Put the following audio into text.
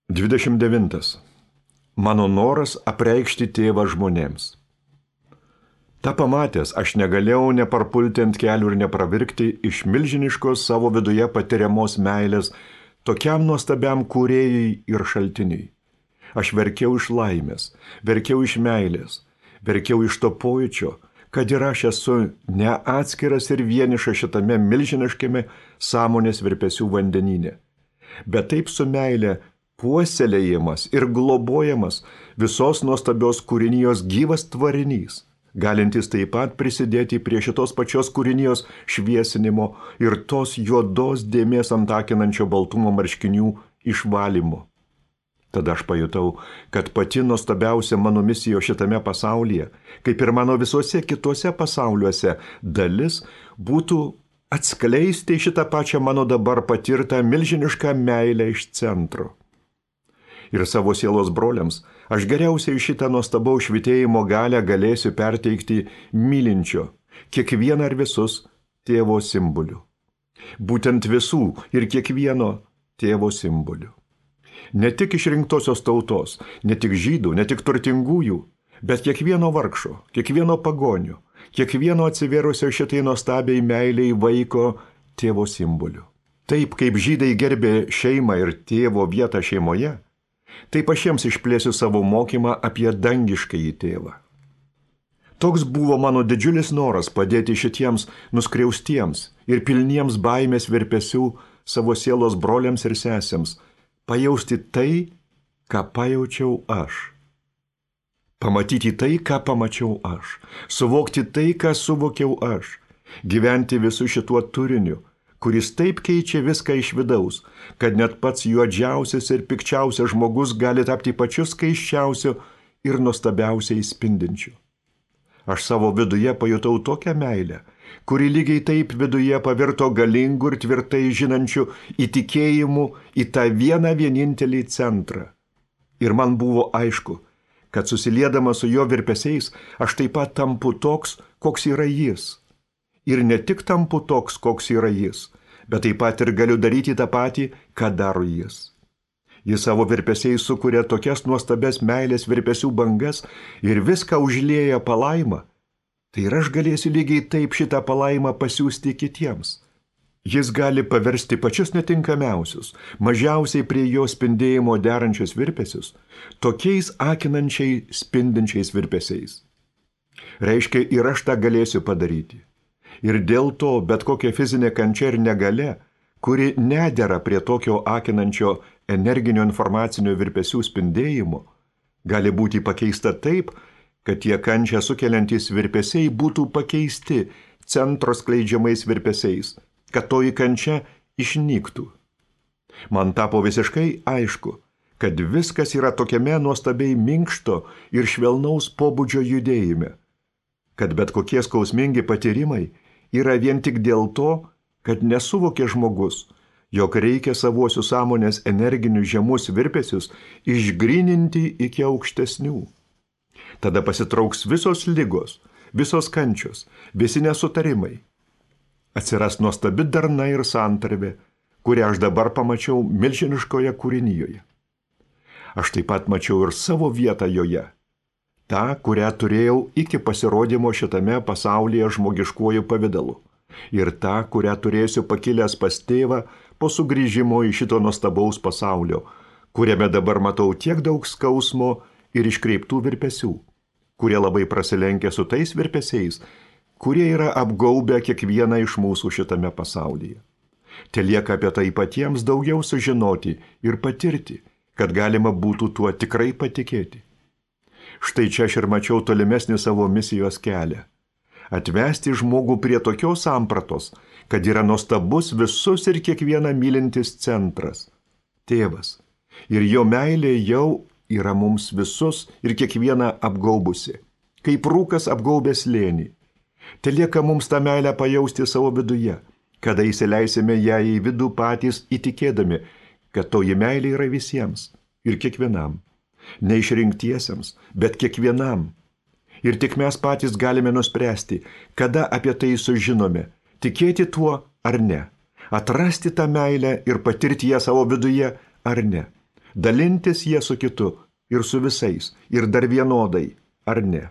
29. Mano noras apreikšti tėvą žmonėms. Ta pamatęs, aš negalėjau neparpulti ant kelių ir nepravirkti iš milžiniškos savo viduje patiriamos meilės tokiam nuostabiam kūrėjui ir šaltiniui. Aš verkiau iš laimės, verkiau iš meilės, verkiau iš to pojūčio, kad ir aš esu neatskiras ir vienišas šitame milžiniškame sąmonės virpesių vandenyne. Bet taip su meilė puoselėjimas ir globojamas visos nuostabios kūrinijos gyvas tvarinys, galintis taip pat prisidėti prie šitos pačios kūrinijos šviesinimo ir tos juodos dėmės ant akinančio baltumo marškinių išvalymo. Tada aš pajutau, kad pati nuostabiausia mano misija šitame pasaulyje, kaip ir mano visuose kituose pasauliuose, dalis būtų atskleisti šitą pačią mano dabar patirtą milžinišką meilę iš centro. Ir savo sielos broliams aš geriausiai šitą nuostabaus švytėjimo galią galėsiu perteikti mylinčio, kiekvieną ir visus tėvo simboliu. Būtent visų ir kiekvieno tėvo simboliu. Ne tik išrinktosios tautos, ne tik žydų, ne tik turtingųjų, bet kiekvieno vargšo, kiekvieno pagonio, kiekvieno atsivėrusio šitai nuostabiai meiliai vaiko tėvo simboliu. Taip kaip žydai gerbė šeimą ir tėvo vietą šeimoje, taip aš jiems išplėsiu savo mokymą apie dangiškąjį tėvą. Toks buvo mano didžiulis noras padėti šitiems nuskriaustiems ir pilniems baimės virpesių savo sielos broliams ir sesėms, pajausti tai, ką pajaučiau aš. Pamatyti tai, ką pamačiau aš. Suvokti tai, ką suvokiau aš. Gyventi visų šituo turiniu, kuris taip keičia viską iš vidaus, kad net pats juodžiausias ir pikčiausias žmogus gali tapti pačiu skaisčiausiu ir nuostabiausiai spindinčiu. Aš savo viduje pajutau tokią meilę, kuri lygiai taip viduje pavirto galingu ir tvirtai žinančiu įtikėjimu į tą vieną vienintelį centrą. Ir man buvo aišku, kad susiliedamas su jo virpesiais, aš taip pat tampu toks, koks yra jis. Ir ne tik tampu toks, koks yra jis, bet taip pat ir galiu daryti tą patį, ką daro jis. Jis savo virpesiais sukuria tokias nuostabes meilės virpesių bangas ir viską užlieja palaima. Tai ir aš galėsiu lygiai taip šitą palaimą pasiųsti kitiems. Jis gali paversti pačius netinkamiausius, mažiausiai prie jo spindėjimo derančius virpesius, tokiais akinančiai spindinčiais virpesiais. Reiškia, ir aš tą galėsiu padaryti. Ir dėl to bet kokia fizinė kančia ir negalia, kuri nedera prie tokio akinančio energinio informacinio virpesių spindėjimo, gali būti pakeista taip, kad tie kančią sukeliantys virpesiai būtų pakeisti centro skleidžiamais virpesiais, kad toji kančia išnyktų. Man tapo visiškai aišku, kad viskas yra tokiame nuostabiai minkšto ir švelnaus pobūdžio judėjime, kad bet kokie skausmingi patyrimai yra vien tik dėl to, kad nesuvokė žmogus, jog reikia savuosius sąmonės energinius žemus virpesius išgryninti iki aukštesnių. Tada pasitrauks visos ligos, visos kančios, visi nesutarimai. Atsiras nuostabi darna ir santarvė, kurią aš dabar pamačiau milžiniškoje kūrinijoje. Aš taip pat mačiau ir savo vietą joje, tą, kurią turėjau iki pasirodymo šitame pasaulyje žmogiškuoju pavidalu, ir tą, kurią turėsiu pakilęs pas tėvą po sugrįžimo į šito nuostabaus pasaulio, kuriame dabar matau tiek daug skausmo ir iškreiptų virpesių, kurie labai prasilenkia su tais virpesiais, kurie yra apgaubę kiekvieną iš mūsų šitame pasaulyje. Telieka apie tai patiems daugiau sužinoti ir patirti, kad galima būtų tuo tikrai patikėti. Štai čia aš ir mačiau tolimesnį savo misijos kelią. Atvesti žmogų prie tokios sampratos, kad yra nuostabus visus ir kiekvieną mylintis centras, tėvas, ir jo meilė jau yra mums visus ir kiekvieną apgaubusi, kaip rūkas apgaubęs slėnį. Telieka mums tą meilę pajausti savo viduje, kada įsileisime ją į vidų patys įtikėdami, kad toji meilė yra visiems ir kiekvienam, neišrinktiesiems, bet kiekvienam. Ir tik mes patys galime nuspręsti, kada apie tai sužinome, tikėti tuo ar ne, atrasti tą meilę ir patirti ją savo viduje ar ne. dalintis jie su kitu ir su visais, ir dar vienodai, ar ne?